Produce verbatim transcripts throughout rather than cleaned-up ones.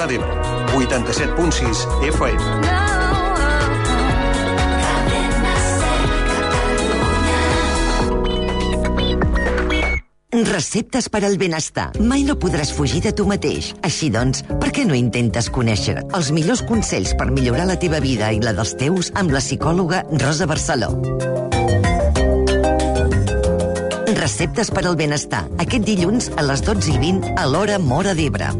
Móra d'Ebre, vuitanta-set punt sis F M. Receptes per al benestar. Mai no podràs fugir de tu mateix. Així doncs, per què no intentes conèixer els millors consells per millorar la teva vida i la dels teus amb la psicòloga Rosa Barceló? Receptes per al benestar. Aquest dilluns a les dotze i vint a l'hora Móra d'Ebre.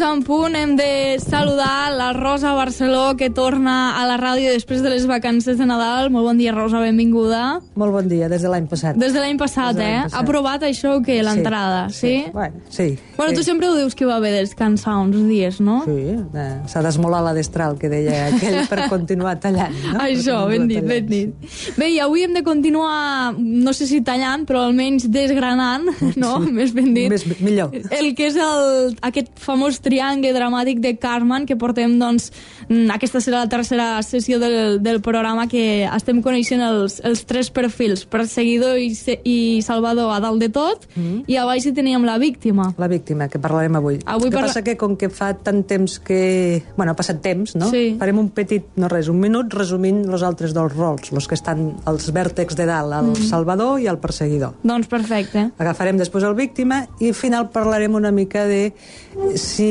En punt, hem de saludar la Rosa Barceló, que torna a la ràdio després de les vacances de Nadal. Molt bon dia, Rosa, benvinguda. Molt bon dia, des de l'any passat. Des de l'any passat, de eh? passat. Ha provat això o què, l'entrada, sí? Sí, bueno, sí. Bueno, tu sí. sempre ho dius que va haver de descansar uns dies, no? Sí, eh, s'ha d'esmolar la destral, que deia aquell, per continuar tallant, no? Això, ben dit, ben dit. Sí. Bé, i avui hem de continuar, no sé si tallant, però almenys desgranant, no? Sí. Més ben dit. Més, millor. El que és el, aquest famós triangle dramàtic de Cartman, que portem, doncs, aquesta serà la tercera sessió del, del programa, que estem coneixent els, els tres perfils, perseguidor i, i salvador a dalt de tot, mm-hmm. i a baix hi teníem la víctima. La víctima, que parlarem avui. avui el que parla... passa que, com que fa tant temps que... Bueno, ha passat temps, no? Sí. Farem un petit, no res, un minut resumint els altres dos rols, els que estan als vèrtex de dalt, el mm. salvador i el perseguidor. Doncs perfecte. Agafarem després el víctima i al final parlarem una mica de si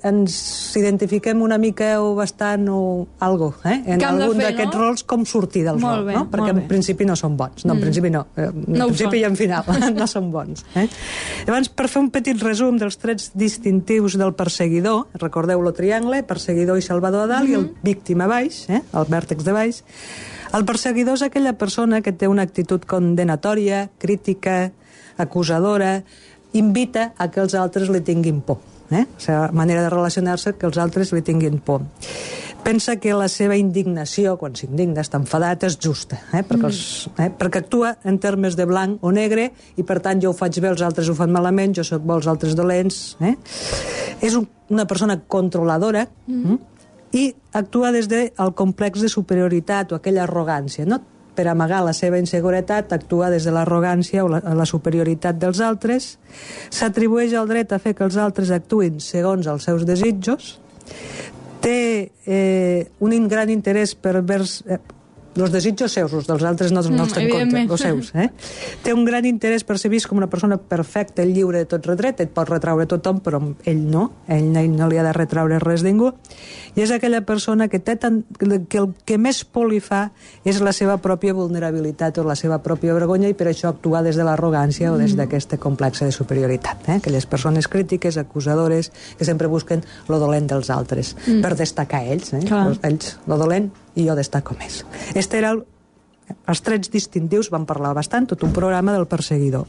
ens identifiquem una mica o bastant o algo, eh? En algun d'aquests no? rols, com sortir del rol, no? Perquè en principi no són bons. No, en mm. principi no. En no principi i en final no són bons. Eh? Llavors, per fer un petit resum dels trets distintius del perseguidor, recordeu el triangle, perseguidor i salvador a dalt, mm-hmm. i el víctima a baix, eh? El vèrtex de baix. El perseguidor és aquella persona que té una actitud condenatòria, crítica, acusadora, invita a que els altres li tinguin por. Eh? La seva manera de relacionar-se, que els altres li tinguin por. Pensa que la seva indignació, quan s'indigna, està enfadat, és justa, eh? Perquè, els, eh? perquè actua en termes de blanc o negre, i per tant jo ho faig bé, els altres ho fan malament, jo soc bo, els altres dolents. Eh? És un, una persona controladora, mm. i actua des del complex de superioritat o aquella arrogància, no? Per amagar la seva inseguretat, actua des de l'arrogància o la, la superioritat dels altres, s'atribueix el dret a fer que els altres actuïn segons els seus desitjos, té eh, un gran interès per vers... Eh, els desitjos seus, els dels altres no, no els ten compte, els seus. Eh? Té un gran interès per ser vist com una persona perfecta, lliure de tot retret, et pot retraure tothom, però ell no, ell, ell no li ha de retraure res a ningú, i és aquella persona que, té tant, que el que més por li fa és la seva pròpia vulnerabilitat o la seva pròpia vergonya, i per això actua des de l'arrogància mm. o des d'aquesta complexa de superioritat. Eh? Aquelles persones crítiques, acusadores, que sempre busquen lo dolent dels altres, mm. per destacar ells, eh? ells, lo dolent, i jo destaco més. Este era el, els trets distintius, vam parlar bastant, tot un programa del perseguidor.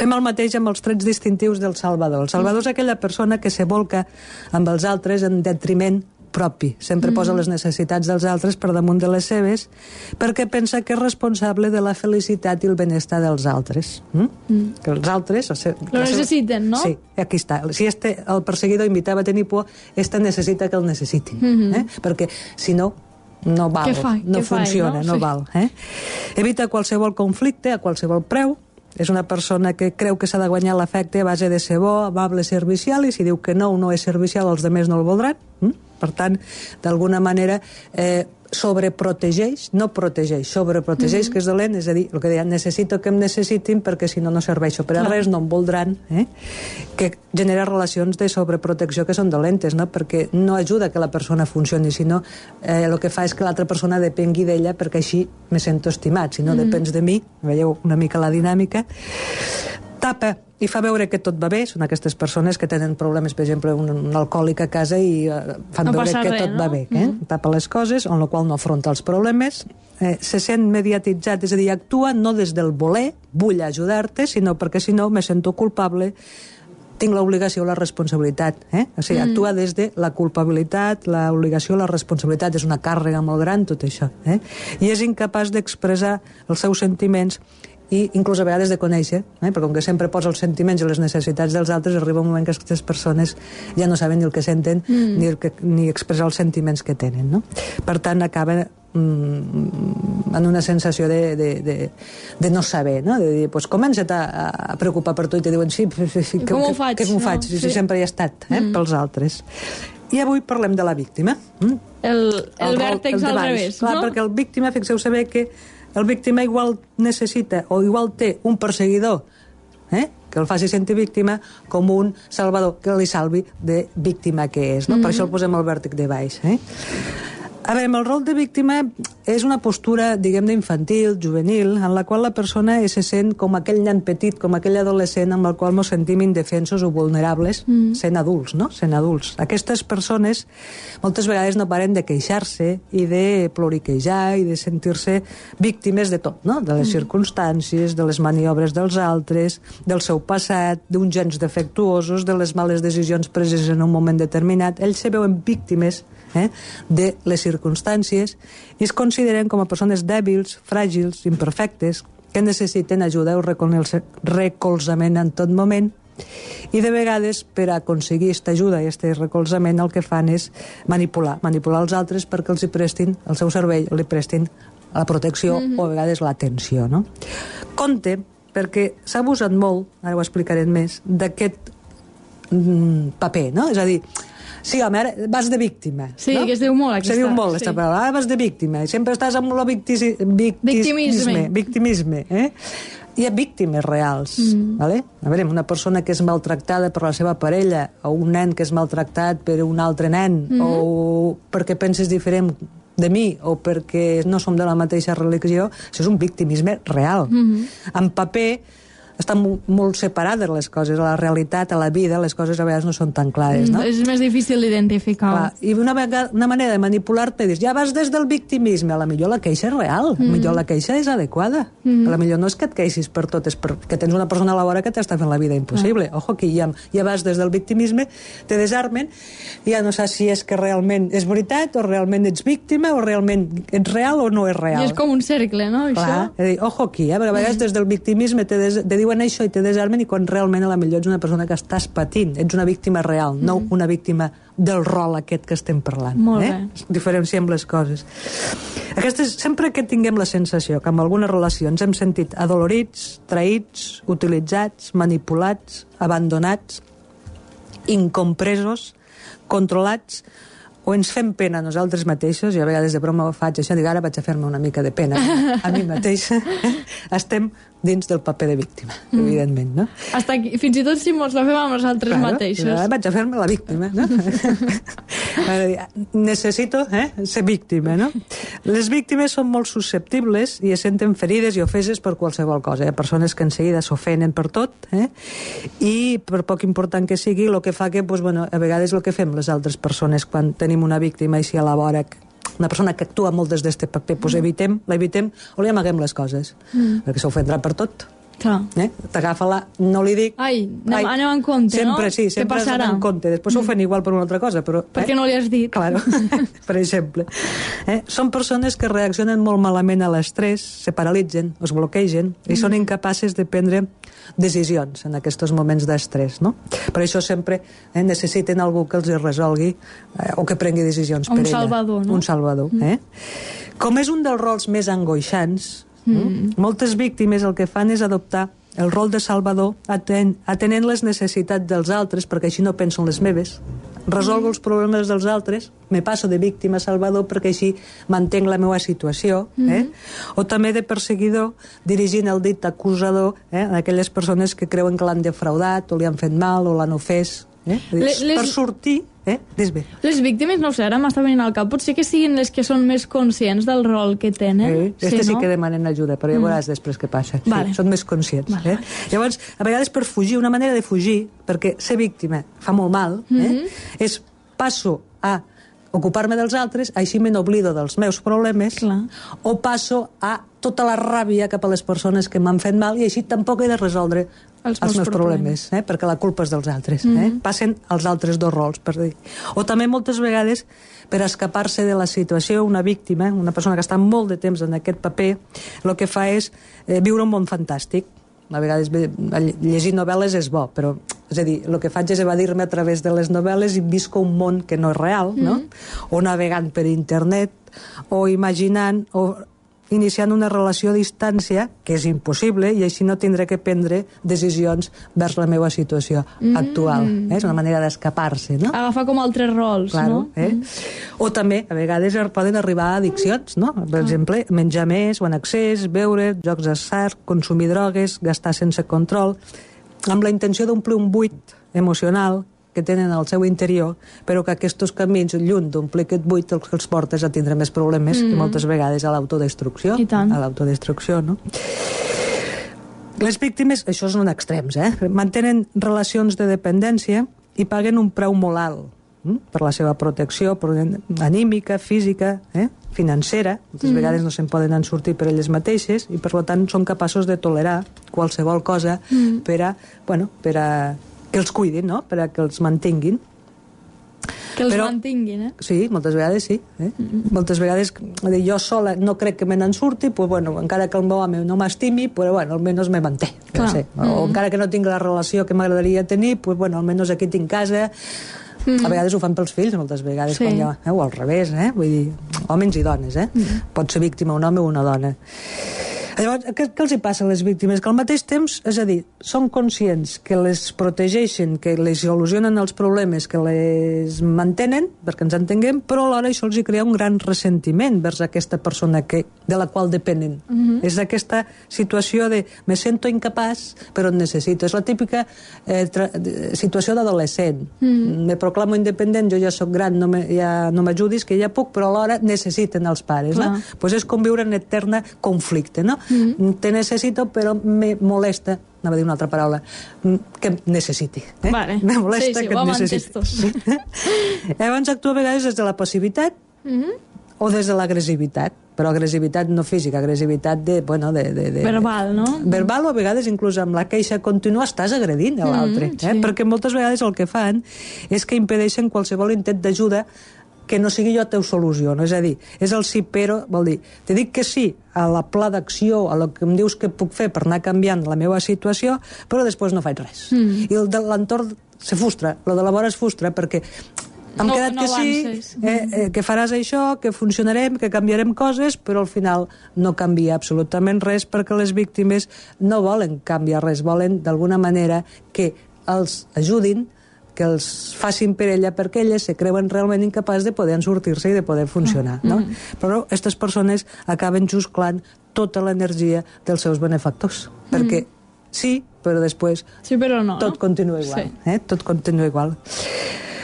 Fem el mateix amb els trets distintius del salvador. El salvador és aquella persona que se volca amb els altres en detriment propi. Sempre mm. posa les necessitats dels altres per damunt de les seves, perquè pensa que és responsable de la felicitat i el benestar dels altres. Mm? Mm. Que els altres... O sigui, lo necessiten, no? Sí, aquí està. Si este, el perseguidor invitava a tenir por, este necessita que el necessitin. Mm-hmm. eh? Perquè, si no, no val, fa? no funciona, fa, no? no Sí. val. Eh? Evita qualsevol conflicte a qualsevol preu. És una persona que creu que s'ha de guanyar l'afecte a base de ser bo, amable, servicial, i si diu que no, no és servicial, els altres no el voldran. Mm? Per tant, d'alguna manera, eh, sobreprotegeix, no protegeix, sobreprotegeix, mm-hmm. que és dolent, és a dir, el que deia, necessito que em necessitin perquè si no, no serveixo per a Clar. res, no em voldran, eh? que genera relacions de sobreprotecció que són dolentes, no? Perquè no ajuda que la persona funcioni, sinó eh, el que fa és que l'altra persona depengui d'ella perquè així me sento estimat, si no mm-hmm. depens de mi, veieu una mica la dinàmica. Tapa i fa veure que tot va bé. Són aquestes persones que tenen problemes, per exemple, un, un alcohòlic a casa i uh, fan no veure que res, tot no? va bé. Eh? Mm-hmm. Tapa les coses, amb la qual no afronta els problemes. Eh, se sent mediatitzat, és a dir, actua no des del voler, vull ajudar-te, sinó perquè si no me sento culpable, tinc l'obligació o la responsabilitat. Eh? O sigui, mm. actua des de la culpabilitat, l'obligació, la responsabilitat. És una càrrega molt gran, tot això. Eh? I és incapaç d'expressar els seus sentiments i inclús a vegades de conèixer, eh? perquè com que sempre posa els sentiments i les necessitats dels altres, arriba un moment que aquestes persones ja no saben ni el que senten mm. ni, el que, ni expressar els sentiments que tenen, no? Per tant, acaba mm, en una sensació de, de, de, de no saber, no? De dir, pues, comença't a, a preocupar per tu i te diuen, sí, sí, sí que, com ho que, faig? que, que m'ho No? faig? Sí, sí, Sí. sempre hi he estat, eh? mm. pels altres. I avui parlem de la víctima. Mm? El, el, el rol- vèrtex el al d'abans. revés, Clar, no? perquè el víctima, fixeu saber que el víctima igual necessita o igual té un perseguidor eh? que el faci sentir víctima com un salvador que li salvi de víctima que és, no? Mm-hmm. Per això el posem al vèrtex de baix. Eh? A veure, el rol de víctima és una postura, diguem-ne, infantil, juvenil, en la qual la persona se sent com aquell nen petit, com aquell adolescent amb el qual ens sentim indefensos o vulnerables, mm. sent adults, no? Sent adults. Aquestes persones moltes vegades no paren de queixar-se i de ploriquejar i de sentir-se víctimes de tot, no? De les mm. circumstàncies, de les maniobres dels altres, del seu passat, d'uns gens defectuosos, de les males decisions preses en un moment determinat. Ells se veuen víctimes eh, de les circumstàncies i es consideren com a persones dèbils, fràgils, imperfectes, que necessiten ajuda o recolzament en tot moment. I de vegades, per aconseguir aquesta ajuda i aquest recolzament, el que fan és manipular, manipular els altres perquè els hi prestin el seu cervell, li prestin la protecció mm-hmm. o a vegades l'atenció, no? Compte, perquè s'ha abusat molt, ara ho explicaré més, d'aquest mm, paper, no? És a dir, sí, home, ara vas de víctima. Sí, no? que es diu molt aquesta. Se diu molt, sí. aquesta paraula. Ara vas de víctima. I sempre estàs amb el victisi, victimisme. Victimisme, eh? Hi ha víctimes reals, mm. vale? A veure, una persona que és maltractada per la seva parella, o un nen que és maltractat per un altre nen, mm. o perquè penses diferent de mi, o perquè no som de la mateixa religió, això és un victimisme real. Mm. En paper estan molt separades les coses, a la realitat, a la vida, les coses a vegades no són tan clares, no? Mm, és més difícil d'identificar. Clar, i una, vegada, una manera de manipular-te és, ja vas des del victimisme, a la millor la queixa és real, a la millor la queixa és adequada, a la millor no és que et queixis per tot, és perquè tens una persona a la vora que t'està fent la vida impossible. Ah. Ojo, que ja, ja vas des del victimisme, te desarmen, i ja no saps si és que realment és veritat, o realment ets víctima, o realment ets real o no és real. I és com un cercle, no? Clar, això? és a dir, ojo aquí, eh? Perquè a vegades des del victimisme te, des, te diuen això i te desarmen, i quan realment a la millor ets una persona que estàs patint, ets una víctima real, mm. no una víctima del rol aquest que estem parlant. Molt eh? bé. Diferenciem les coses. Aquestes, sempre que tinguem la sensació que en alguna relació ens hem sentit adolorits, traïts, utilitzats, manipulats, abandonats, incompresos, controlats, o ens fem pena a nosaltres mateixos, i a vegades de broma ho faig això, dic, ara vaig a fer-me una mica de pena a mi mateixa, estem dins del paper de víctima, mm. evidentment, no? Hasta aquí, fins i tot si mos la fem amb nosaltres Claro, mateixos. Ara vaig a fer-me la víctima, no? Necessito eh, ser víctima, no? Les víctimes són molt susceptibles i es senten ferides i ofeses per qualsevol cosa. Hi ha persones que en seguida s'ofenen per tot, eh? I per poc important que sigui, el que fa que, pues, bueno, a vegades el que fem les altres persones quan tenim una víctima així a la vora, una persona que actua molt des d'este paper, doncs evitem, l'evitem o li amaguem les coses, mm. perquè s'ofendrà per tot. Clar. Eh? T'agafa-la, no li dic... Ai, anem, anem en compte, sempre, no? Sí, sempre has d'anar en compte. Després s'ofèn igual per una altra cosa, però... Perquè eh? no li has dit. Claro, per exemple. Eh? Són persones que reaccionen molt malament a l'estrès, se paralitzen, es bloquegen, i mm. són incapaces de prendre decisions en aquests moments d'estrès, no? Per això sempre eh, necessiten algú que els resolgui eh, o que prengui decisions un per ella. Salvador, no? Un salvador, mm. eh? Com és un dels rols més angoixants, Mm. moltes víctimes el que fan és adoptar el rol de salvador aten atenent les necessitats dels altres, perquè així no penso en les meves, resolgo mm. els problemes dels altres, me passo de víctima a salvador perquè així mantenc la meva situació, mm. eh? O també de perseguidor, dirigint el dit acusador eh, a aquelles persones que creuen que l'han defraudat o li han fet mal o l'han ofès, eh? Les... per sortir Eh? Bé. Les víctimes, no sé, ara m'està venint al cap, potser que siguin les que són més conscients del rol que tenen. Eh? Este sí, sí no? que demanen ajuda, però ja veuràs mm. després què passa. Vale. Sí, són més conscients. Vale. Eh? Llavors, a vegades per fugir, una manera de fugir, perquè ser víctima fa molt mal, eh? mm-hmm. és passo a ocupar-me dels altres, així me n'oblido dels meus problemes, Clar. o passo a tota la ràbia cap a les persones que m'han fet mal i així tampoc he de resoldre els, els meus problemes, problemes eh? perquè la culpa és dels altres. Mm-hmm. eh? Passen als altres dos rols, per dir. O també moltes vegades per escapar-se de la situació, una víctima, una persona que està molt de temps en aquest paper, el que fa és eh, viure un món fantàstic. A vegades llegir novel·les és bo, però és a dir, el que faig és evadir-me a través de les novel·les i visco un món que no és real, no? Mm. O navegant per internet, o imaginant, o iniciant una relació a distància, que és impossible, i així no tindré que prendre decisions vers la meva situació mm. actual. Eh? És una manera d'escapar-se, no? Agafar com altres rols, claro, no? Eh? Mm. O també, a vegades, poden arribar a addiccions, no? Per ah. exemple, menjar més o en excés, beure, jocs d'atzar, consumir drogues, gastar sense control, amb la intenció d'omplir un buit emocional que tenen al seu interior, però que aquests camins, lluny d'omplir aquest buit, els que els portes a tindre més problemes mm. i moltes vegades a l'autodestrucció. I tant. A l'autodestrucció, no? Les víctimes, això són extrems, eh? Mantenen relacions de dependència i paguen un preu molt alt hm? per la seva protecció anímica, física, eh? financera. Moltes mm. vegades no se'n poden en sortir per elles mateixes i, per tant, són capaços de tolerar qualsevol cosa mm. per a, bueno, per a que els cuidin, no? Per a que els mantinguin. Que els Però, mantinguin, eh? Sí, moltes vegades sí. Eh? Mm-hmm. Moltes vegades jo sola no crec que me n'en surti, pues, bueno, encara que el meu home no m'estimi, però bueno, almenys me manté. No sé. O mm-hmm. encara que no tinc la relació que m'agradaria tenir, pues, bueno, almenys aquí tinc casa. Mm-hmm. A vegades ho fan pels fills, moltes vegades, sí. quan ja, eh? o al revés, eh? Vull dir, homes i dones, eh? Mm-hmm. Pot ser víctima un home o una dona. Llavors, què, què els hi passa a les víctimes? Que al mateix temps, és a dir, són conscients que les protegeixen, que les solucionen els problemes, que les mantenen, perquè ens entenguem, però alhora això els hi crea un gran ressentiment vers aquesta persona que, de la qual depenen. Mm-hmm. És aquesta situació de me sento incapaç, però et necessito. És la típica eh, tra- situació d'adolescent. Mm-hmm. Me proclamo independent, jo ja sóc gran, no me, ja no m'ajudis, que ja puc, però alhora necessiten els pares. No? Pues és com viure en eterna conflicte, no? Mm-hmm. Te necessito, però me molesta, anava a dir una altra paraula, que em necessiti. Eh? Vale. Me molesta sí, sí, que em necessiti. Llavors actua a vegades des de la passivitat mm-hmm. o des de l'agressivitat, però agressivitat no física, agressivitat de, bueno, de, de, de, verbal, no? Verbal o a vegades inclús amb la queixa contínua estàs agredint a l'altre, mm, sí. eh? Perquè moltes vegades el que fan és que impedeixen qualsevol intent d'ajuda que no sigui jo teu solució, no? És a dir, és el sí però, vol dir, te dic que sí a la pla d'acció, a lo que em dius que puc fer per anar canviant la meva situació, però després no faig res. Mm. I el de l'entorn se frustra, el de la vora es frustra, perquè hem no, quedat no que sí, eh, eh, que faràs això, que funcionarem, que canviarem coses, però al final no canvia absolutament res, perquè les víctimes no volen canviar res, volen d'alguna manera que els ajudin, que els facin per ella, perquè elles se creuen realment incapaç de poder sortir-se i de poder funcionar, no? Mm. Però aquestes persones acaben jusclant tota l'energia dels seus benefactors, mm. perquè sí, però després sí, però no, tot no? continua igual. Sí. Eh? Tot continua igual.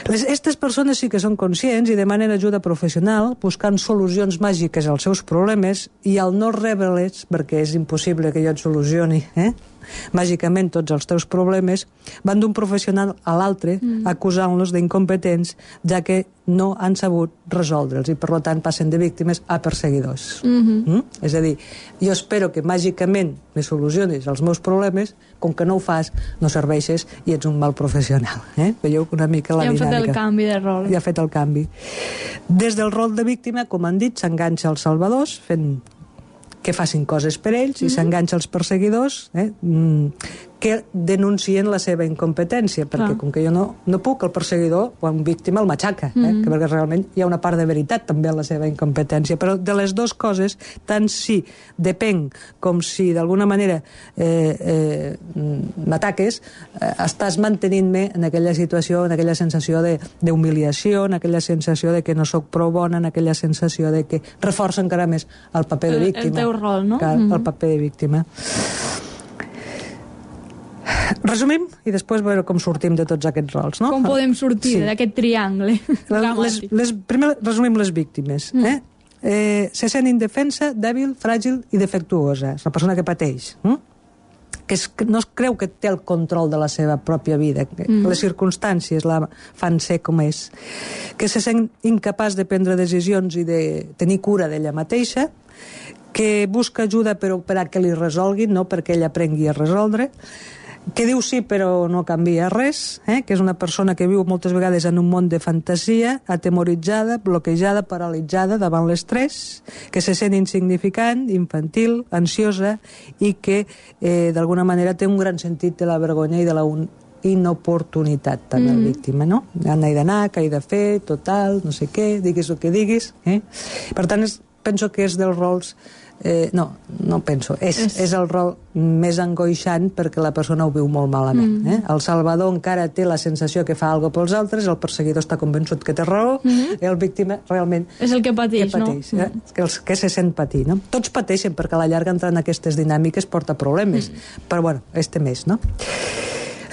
Les, aquestes persones sí que són conscients i demanen ajuda professional, buscant solucions màgiques als seus problemes, i al no rebre-les, perquè és impossible que jo et solucioni, eh? màgicament tots els teus problemes, van d'un professional a l'altre mm. acusant-los d'incompetents, ja que no han sabut resoldre'ls i per tant passen de víctimes a perseguidors. Mm-hmm. Mm? És a dir, jo espero que màgicament me solucionis els meus problemes, com que no ho fas, no serveixes i ets un mal professional. Eh? Veieu una mica la ja dinàmica. Ja han fet el canvi de rol. Ja ha fet el canvi. Des del rol de víctima, com han dit, s'enganxa als salvadors, fent que facin coses per ells, mm-hmm. i s'enganxa als perseguidors, eh? que denuncien la seva incompetència, perquè ah. com que jo no, no puc, el perseguidor o un víctima el matxaca, mm-hmm. eh? perquè realment hi ha una part de veritat també en la seva incompetència. Però de les dues coses, tant si depèn com si d'alguna manera eh, eh, m'ataques, eh, estàs mantenint-me en aquella situació, en aquella sensació d'humiliació, en aquella sensació de que no sóc prou bona, en aquella sensació de que reforça encara més el paper de víctima. El, el teu rol, no? Clar, mm-hmm. el paper de víctima. Resumim i després veure com sortim de tots aquests rols, no? Com podem sortir sí. d'aquest triangle les, les, primer resumim les víctimes. Mm. Eh? Eh, se sent indefensa, dèbil, fràgil i defectuosa. És una persona que pateix. Mm? Que es, no es creu que té el control de la seva pròpia vida, que mm. les circumstàncies la fan ser com és. Que se sent incapaç de prendre decisions i de tenir cura d'ella mateixa, que busca ajuda però per a que li resolguin, no perquè ella aprengui a resoldre, que diu sí però no canvia res, eh? que és una persona que viu moltes vegades en un món de fantasia, atemoritzada, bloquejada, paralitzada davant l'estrès, que se sent insignificant, infantil, ansiosa i que eh, d'alguna manera té un gran sentit de la vergonya i de la un inoportunitat també mm. la víctima, no? On he d'anar, què he de fer, total, no sé què, diguis el que diguis. Eh? Per tant, és, penso que és dels rols Eh, no, no penso. És, és... és el rol més angoixant perquè la persona ho viu molt malament. Mm. Eh? El salvador encara té la sensació que fa alguna cosa pels altres, el perseguidor està convençut que té raó, mm. i el víctima realment... És el que pateix, que pateix no? Eh? Que, els, que se sent patir, no? Tots pateixen perquè a la llarga entrar en aquestes dinàmiques porta problemes, mm. però bueno, este més, no?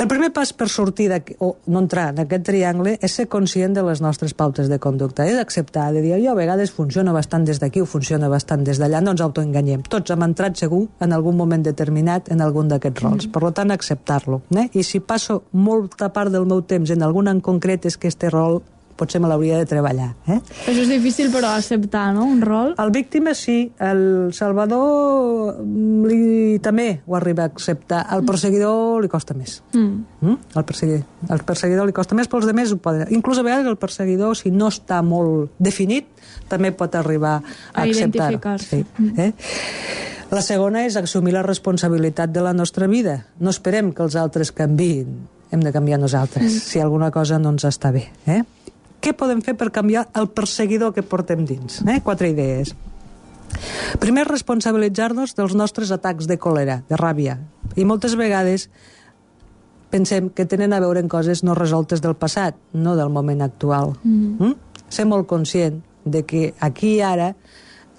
El primer pas per sortir o no entrar en aquest triangle és ser conscient de les nostres pautes de conducta, és acceptar, de dir, jo a vegades funciona bastant des d'aquí o funciona bastant des d'allà, no ens autoenganyem. Tots hem entrat segur en algun moment determinat en algun d'aquests rols, mm. per tant acceptar-lo. Eh? I si passo molta part del meu temps en algun en concret és que este rol potser me l'hauria de treballar. Eh? Això és difícil, però, acceptar, no?, un rol. El víctima sí, el salvador li, també ho arriba a acceptar. Al perseguidor li costa més. Mm. Mm? El, perseguidor, el perseguidor li costa més, però els altres ho poden. Inclús a vegades el perseguidor, si no està molt definit, també pot arribar a, a acceptar. identificar-se. Sí. Mm. Eh? La segona és assumir la responsabilitat de la nostra vida. No esperem que els altres canviïn. Hem de canviar nosaltres, mm. si alguna cosa no ens està bé. Eh? Què podem fer per canviar el perseguidor que portem dins? Eh? Quatre idees. Primer, responsabilitzar-nos dels nostres atacs de còlera, de ràbia. I moltes vegades pensem que tenen a veure en coses no resoltes del passat, no del moment actual. Mm. Mm? Ser molt conscient de que aquí i ara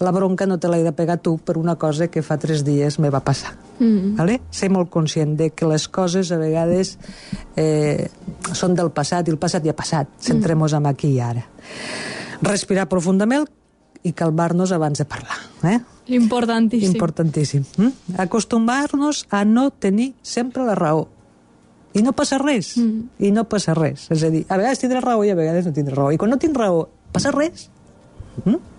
la bronca no te l'he de pegar tu per una cosa que fa tres dies me va passar. Mm. Vale? Ser molt conscient de que les coses a vegades eh, són del passat i el passat ja ha passat. Centrem-nos en aquí i ara. Respirar profundament i calmar-nos abans de parlar. Eh? Importantíssim. Importantíssim. Mm? Acostumar-nos a no tenir sempre la raó. I no passa res. Mm. I no passa res. És a dir, a vegades tindré raó i a vegades no tindré raó. I quan no tinc raó, passa res? Mm?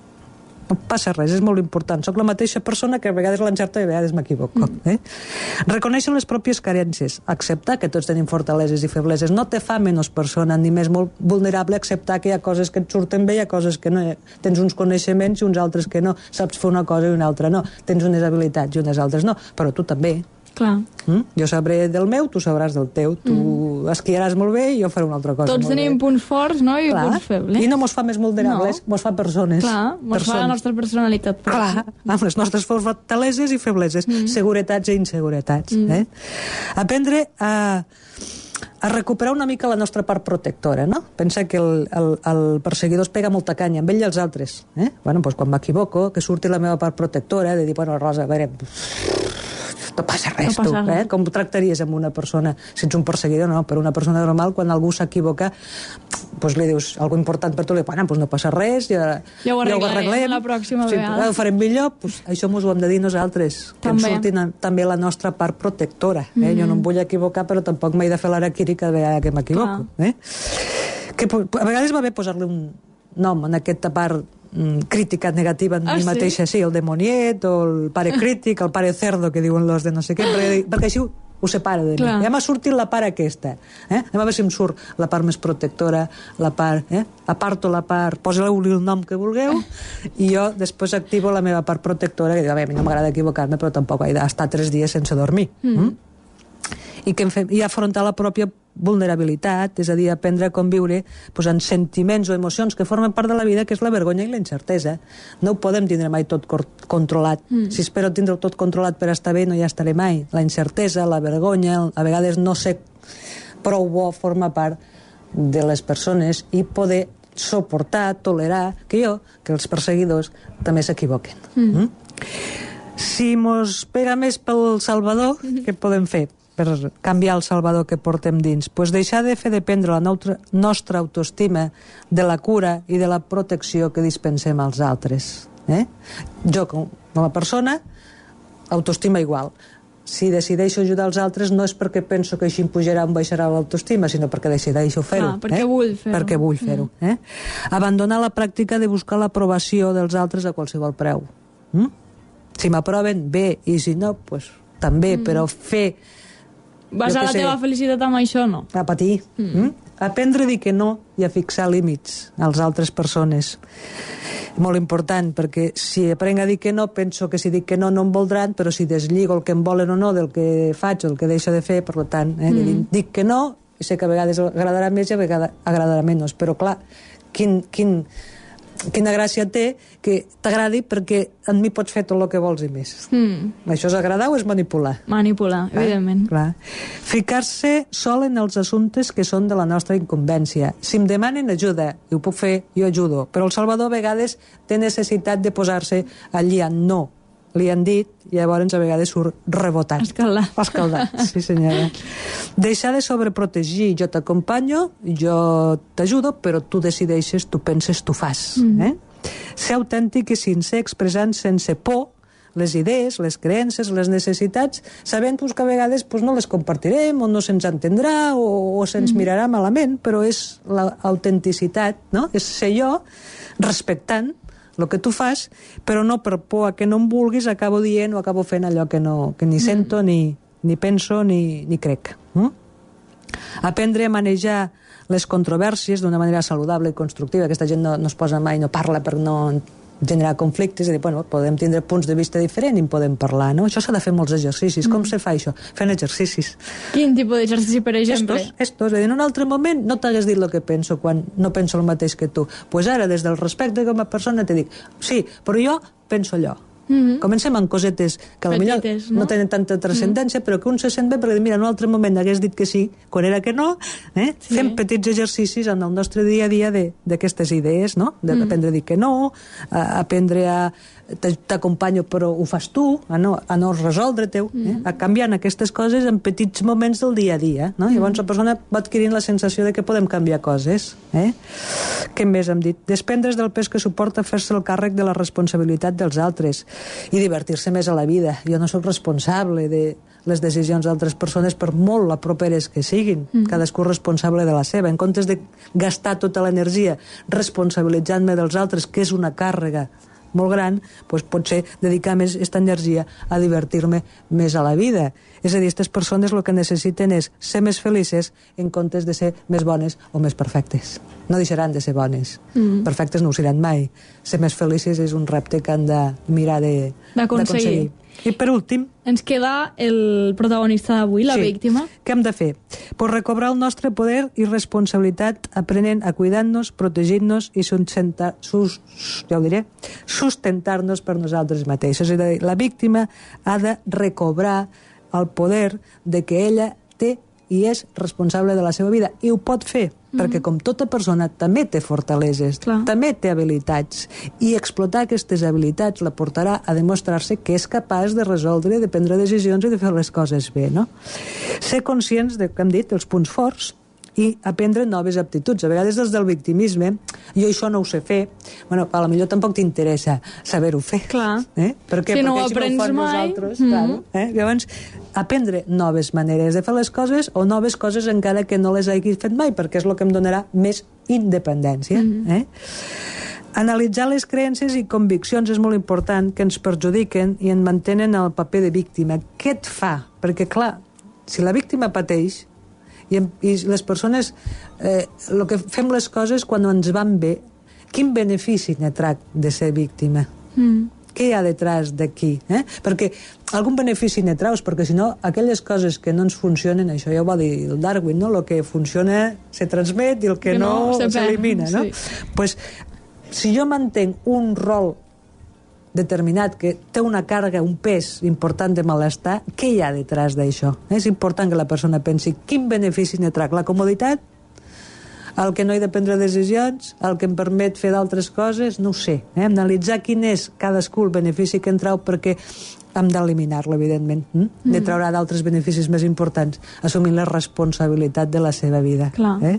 No passa res, és molt important. Soc la mateixa persona que a vegades l'encerto i a vegades m'equivoco. Mm. Eh? Reconèixer les pròpies carències, acceptar que tots tenim fortaleses i febleses, no te fa menys persona ni més molt vulnerable, acceptar que hi ha coses que et surten bé, hi ha coses que no. Tens uns coneixements i uns altres que no. Saps fer una cosa i una altra no. Tens unes habilitats i unes altres no. Però tu també. Clar. Mm? Jo sabré del meu, tu sabràs del teu. Tu mm. esquiaràs molt bé i jo faré una altra cosa. Tots tenim bé. punts forts, no?, i Clar. punts febles. I no mos fa més vulnerables, no. Mos fa persones. Clar, mos persones. fa la nostra personalitat. Clar, amb les nostres fortaleses i febleses, mm. seguretats i inseguretats. Mm. Eh? Aprendre a a recuperar una mica la nostra part protectora, no? Pensa que el, el, el perseguidor es pega molta canya amb ell i els altres. Eh? Bueno, doncs quan m'equivoco, que surti la meva part protectora, de dir, bueno, Rosa, a veure, no passa res, no passa tu, res. Eh? Com ho tractaries amb una persona, si ets un perseguidor, no? Per una persona normal, quan algú s'equivoca, doncs li dius alguna important per tu, li dius, bueno, doncs no passa res, ja, ja ho arreglem, ja ho arreglem la pròxima sí, vegada. Ho farem millor, doncs això mos ho hem de dir nosaltres, que també. Ens surtin també la nostra part protectora. Eh? Mm-hmm. Jo no em vull equivocar, però tampoc m'he de fer l'araquiri cada vegada que m'equivoco. Eh? Que a vegades va bé posar-li un nom en aquesta part mm, crítica negativa en ah, mi mateixa, sí? sí, el demoniet, o el pare crític, el pare cerdo, que diuen los de no sé què, perquè, perquè així ho, ho separa de mi. Clar. Ja m'ha sortit la part aquesta. Eh? A veure si em surt la part més protectora, la part... Eh? Aparto la part... Poseu-li el nom que vulgueu, i jo després activo la meva part protectora, que diu, a mi no m'agrada equivocar-me, però tampoc he d'estar tres dies sense dormir. Mm. Mm? I, que fem, i afrontar la pròpia vulnerabilitat, és a dir, aprendre a conviure pues, en sentiments o emocions que formen part de la vida, que és la vergonya i la incertesa. No ho podem tindre mai tot controlat. Mm. Si espero tindre tot controlat per estar bé, no hi estaré mai. La incertesa, la vergonya, a vegades no ser prou bo forma part de les persones i poder suportar, tolerar, que jo, que els perseguidors també s'equivoquen. Mm. Mm? Si mos pega més pel Salvador, mm-hmm. què podem fer per canviar el Salvador que portem dins? Pues deixar de fer dependre la nostra, nostra autoestima de la cura i de la protecció que dispensem als altres. Eh? Jo, com a persona, autoestima igual. Si decideixo ajudar els altres no és perquè penso que així em pujarà o em baixarà l'autoestima, sinó perquè decideixo fer-ho. Ah, perquè eh? vull fer-ho. Perquè vull fer-ho. Mm. Eh? Abandonar la pràctica de buscar l'aprovació dels altres a qualsevol preu. Mm? Si m'aproven, bé, i si no, pues, també, mm. però fer Basar la teva felicitat amb això, no? A patir. Mm. Mm? Aprendre a dir que no i a fixar límits a les altres persones. Molt important, perquè si aprenc a dir que no, penso que si dic que no, no em voldran, però si deslligo el que em volen o no del que faig o el que deixo de fer, per tant, eh, mm. dic que no, i sé que a vegades agradarà més i a vegades agradarà menys, però clar, quin... quin quina gràcia té que t'agradi perquè en mi pots fer tot el que vols i més. Mm. Això és agradar o és manipular? Manipular, clar, evidentment. Clar. Ficar-se sol en els assumptes que són de la nostra incumbència. Si em demanen ajuda, i ho puc fer, jo ajudo. Però el Salvador a vegades té necessitat de posar-se allí en no. Li han dit, i llavors a vegades surt rebotant. Escaldat. Escaldat, sí senyora. Deixar de sobreprotegir. Jo t'acompanyo, jo t'ajudo, però tu decideixes, tu penses, tu fas. Mm. Eh? Ser autèntic i sincer, expressant sense por les idees, les creences, les necessitats, sabent pues, que a vegades pues, no les compartirem o no se'ns entendrà o, o se'ns mm. mirarà malament, però és l'autenticitat, no? És ser jo respectant el que tu fas, però no per por a que no em vulguis acabo dient o acabo fent allò que, no, que ni sento, mm. ni, ni penso, ni, ni crec. Mm? Aprendre a manejar les controvèrsies d'una manera saludable i constructiva. Aquesta gent no, no es posa mai, no parla per no generar conflictes, i dir, bueno, podem tindre punts de vista diferents i en podem parlar, no? Això s'ha de fer molts exercicis. Mm. Com se fa això? Fent exercicis. Quin tipus d'exercici, per exemple? Estos, estos. En un altre moment no t'hagués dit el que penso quan no penso el mateix que tu. Doncs pues ara, des del respecte com a persona, te dic, sí, però jo penso allò. Mm-hmm. Comencem amb cosetes que potser no? no tenen tanta transcendència, mm-hmm. però que un se sent bé perquè mira, en un altre moment hagués dit que sí quan era que no, eh? Sí. Fem petits exercicis en el nostre dia a dia d'aquestes idees, no? D'aprendre mm. a dir que no, a aprendre a t'acompanyo però ho fas tu, a no, a no resoldre-te, mm. eh? A canviant aquestes coses en petits moments del dia a dia, no? Mm. Llavors la persona va adquirint la sensació de que podem canviar coses, eh? Què més hem dit? Desprendre's del pes que suporta fer-se el càrrec de la responsabilitat dels altres i divertir-se més a la vida. Jo no sóc responsable de les decisions d'altres persones, per molt la properes que siguin. Mm. Cadascú responsable de la seva. En comptes de gastar tota l'energia responsabilitzant-me dels altres, que és una càrrega molt gran, doncs potser dedicar més aquesta energia a divertir-me més a la vida. És a dir, aquestes persones el que necessiten és ser més felices en comptes de ser més bones o més perfectes. No deixaran de ser bones. Mm. Perfectes no ho seran mai. Ser més felices és un repte que han de mirar d'aconseguir. I per últim... Ens queda el protagonista d'avui, la sí. víctima. Què hem de fer? Pues recobrar el nostre poder i responsabilitat aprenent a cuidar-nos, protegir-nos i sustentar, sus, ja ho diré, sustentar-nos per nosaltres mateixos. És a dir, la víctima ha de recobrar el poder de que ella té i és responsable de la seva vida. I ho pot fer, mm-hmm. perquè com tota persona també té fortaleses, Clar. també té habilitats, i explotar aquestes habilitats la portarà a demostrar-se que és capaç de resoldre, de prendre decisions i de fer les coses bé, no? Ser conscients de, com hem dit, els punts forts i aprendre noves aptituds. A vegades des del victimisme, jo això no ho sé fer, bueno, a la millor tampoc t'interessa saber-ho fer. Clar. Eh? Per què? Si no Perquè ho aprens si no ho mai... nosaltres, mm-hmm. claro, eh? Llavors, aprendre noves maneres de fer les coses o noves coses encara que no les hagis fet mai, perquè és el que em donarà més independència. Mm-hmm. Eh? Analitzar les creences i conviccions és molt important, que ens perjudiquen i en mantenen el paper de víctima. Què et fa? Perquè, clar, si la víctima pateix, I, i les persones eh, el que fem les coses quan ens van bé, quin benefici ne trac de ser víctima? Mm. Què hi ha detrás d'aquí? Eh? Perquè algun benefici ne traus, perquè si no aquelles coses que no ens funcionen, això ja ho va dir el Darwin, no? El que funciona se transmet i el que, que no, no s'elimina, no? Sí. Pues, si jo mantenc un rol determinat que té una càrrega, un pes important de malestar, què hi ha detrás d'això? És important que la persona pensi quin benefici ne trac, la comoditat, el que no he de prendre decisions, el que em permet fer d'altres coses, no ho sé. Eh? Analitzar quin és cadascú el benefici que en trau, perquè hem d'eliminar-lo, evidentment. Mm? Mm. De traurà d'altres beneficis més importants, assumint la responsabilitat de la seva vida. Clar. Eh?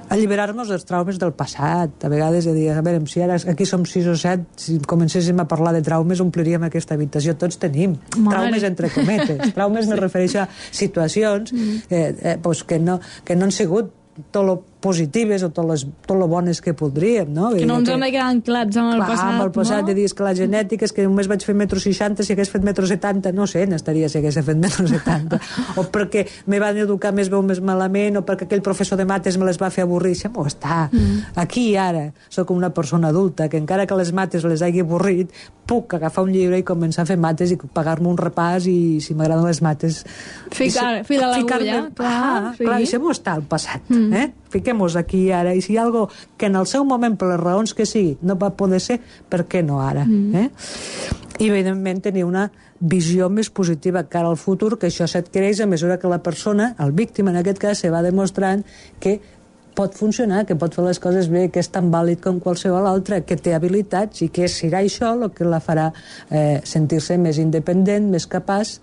Alliberar-nos dels traumes del passat. A vegades, a dir, a veure, si ara aquí som sis o set, si comencéssim a parlar de traumes, ompliríem aquesta habitació. Tots tenim. Mare. Traumes entre cometes. Traumes sí. Me refereixo a situacions mm. eh, eh, pues que, no, que no han sigut tot lo positives o tot les, tot lo bones que podríem, no? Que no ens hem de quedar anclats amb el clar, passat, amb el passat, no? de dir que la genètica és que només vaig fer metro seixanta, si hagués fet metro setanta, no sé, n'estaria si hagués fet metro setanta, o perquè me van educar més bé o més malament, o perquè aquell professor de mates me les va fer avorrir, això m'ho està. Mm. Aquí i ara sóc una persona adulta que encara que les mates les hagi avorrit, puc agafar un llibre i començar a fer mates i pagar-me un repàs i si m'agraden les mates Ficar, fil a l'agulla, clar, ah, sí. clar, això m'ho està al passat, mm. eh? Fiquem-nos aquí i ara, i si hi ha algo que en el seu moment, per les raons que sigui, no va poder ser, per què no ara? Mm. Eh? I evidentment tenir una visió més positiva cara al futur, que això s'adquireix a mesura que la persona, el víctima en aquest cas, se va demostrant que pot funcionar, que pot fer les coses bé, que és tan vàlid com qualsevol altre, que té habilitats i que serà això el que la farà eh, sentir-se més independent, més capaç,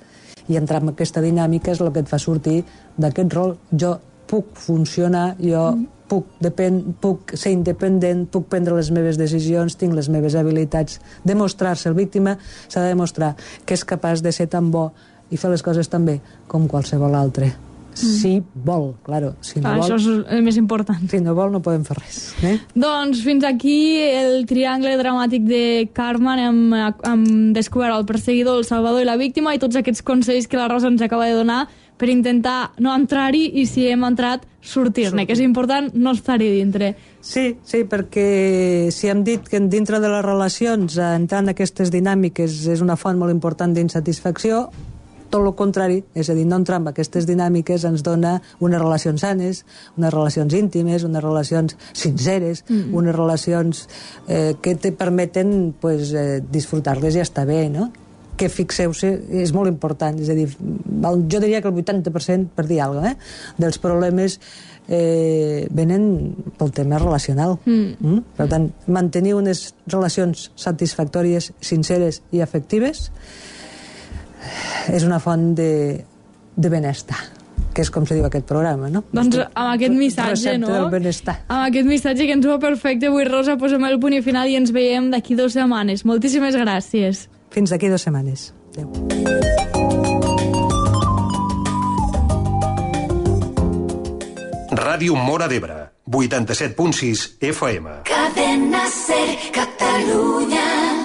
i entrar en aquesta dinàmica és el que et fa sortir d'aquest rol. Jo puc funcionar, jo mm. puc, depèn, puc ser independent, puc prendre les meves decisions, tinc les meves habilitats. Demostrar-se, el víctima s'ha de demostrar que és capaç de ser tan bo i fer les coses tan bé com qualsevol altre. Si vol, claro. Si no ah, vol, això és el més important. Si no vol, no podem fer res. Eh? Doncs fins aquí el triangle dramàtic de Carmen. Hem, hem descobert el perseguidor, el salvador i la víctima, i tots aquests consells que la Rosa ens acaba de donar per intentar no entrar-hi, i si hem entrat, sortir-ne, que és important no estar-hi dintre. Sí, sí, perquè si hem dit que dintre de les relacions entrar en aquestes dinàmiques és una font molt important d'insatisfacció, tot el contrari, és a dir, no entrar en aquestes dinàmiques ens dona unes relacions sanes, unes relacions íntimes, unes relacions sinceres, mm-hmm. unes relacions eh, que te permeten pues, eh, disfrutar-les i estar bé, no? Que fixeu-se, és molt important, és a dir, jo diria que el vuitanta per cent, per dir alguna cosa, eh, dels problemes eh, venen pel tema relacional. Mm. Mm? Per tant, mantenir unes relacions satisfactòries, sinceres i afectives és una font de, de benestar, que és com se diu aquest programa, no? Doncs amb aquest missatge, recepta no? del benestar. Amb aquest missatge que ens va perfecte avui, Rosa, posem el punt i final i ens veiem d'aquí dues setmanes. Moltíssimes gràcies. Fins d'aquí dues setmanes. Adéu. Ràdio Móra d'Ebre, vuitanta-set punt sis F M. Cadena Ser, Catalunya.